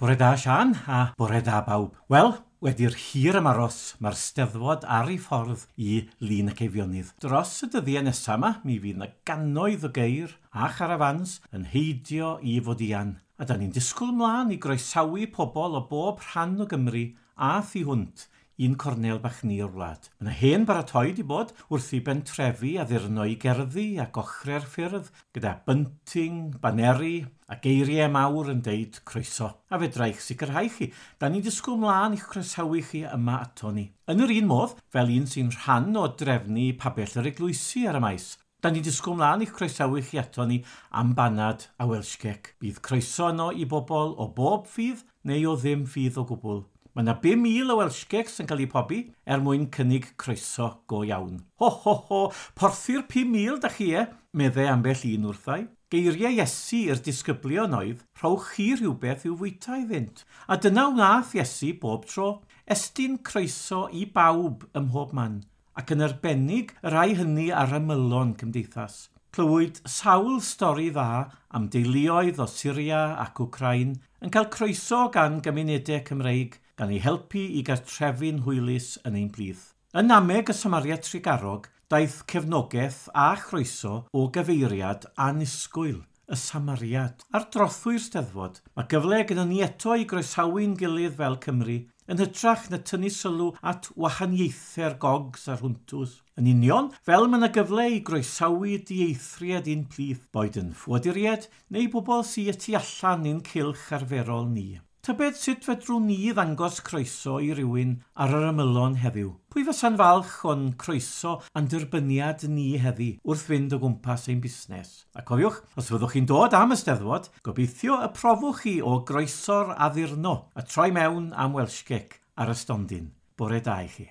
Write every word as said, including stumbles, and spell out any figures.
Bore da Sian a bore da bawb. Wel, wedi'r hir ymaros, mae'r Steddfod ar ei ffordd i Lyn ac Eifionydd. Dros y dyddiau nesaf yma, mi fydd yna gannoedd o geir a charafans yn heidio i Fodian. A da ni'n disgwyl mlaen i groesawu pobl o bob rhan o Gymru a thu hwnt un cornel bach ni o'r wlad. Mae yna hen baratoi di bod wrth i bentrefi addurno i gerddi ac ochrau'r ffyrdd gyda bunting, baneri a geiriau mawr yn deud croeso. A fedra i'ch sicrhau chi, da ni'n disgwyl mlaen i'ch croesawu chi yma ato ni. Yn yr un modd, fel un sy'n rhan o drefnu pabell yr eglwysi ar y maes, da ni'n disgwyl mlaen i'ch croesawu chi ato ni am banad a Welsh cake. Bydd croeso yno i bobl o bob ffydd neu o ddim ffydd o gwbl. Mae yna bum mil o Welsh cakes yn cael eu pobi er mwyn cynnig croeso go iawn. Ho, ho, ho, porthi'r pum mil da chi e, meddai ambell un wrthai. Geiriau Iesu i'r disgyblion oedd, rhowch chi rhywbeth i'w fwyta iddynt. A dyna wnaeth Iesu bob tro, estyn croeso i bawb ym mhob man, ac yn arbennig y rhai hynny ar ymylon cymdeithas. Clywyd sawl stori dda am deuluoedd o Syria ac Wcrain yn cael croeso gan gymunedau Cymreig, gan eu helpu i gartrefu'n hwylus yn ein plith. Yn nameg y Samariad Trugarog, daeth cefnogaeth a chroeso o gyfeiriad annisgwyl, y Samariad. Ar drothwy'r Steddfod, mae gyfle gyda ni eto i groesawu'n gilydd fel Cymru, yn hytrach na tynnu sylw at wahaniaethau'r gogs a'r hwntws. Yn union, fel mae yna gyfle i groesawu dieithriad i'n plith, boed yn ffoaduriaid neu bobl sydd y tu allan i'n cylch arferol ni. Tybed sut fedrwn ni ddangos croeso i rywun ar yr ymylon heddiw? Pwy fysa'n falch o'n croeso a'n derbyniad ni heddi wrth fynd o gwmpas ein busnes? A cofiwch, os fyddwch chi'n dod am y Steddfod, gobeithio y profwch chi o groeso'r addurno a troi mewn am Welsh cake ar y stondin. Bore da i chi.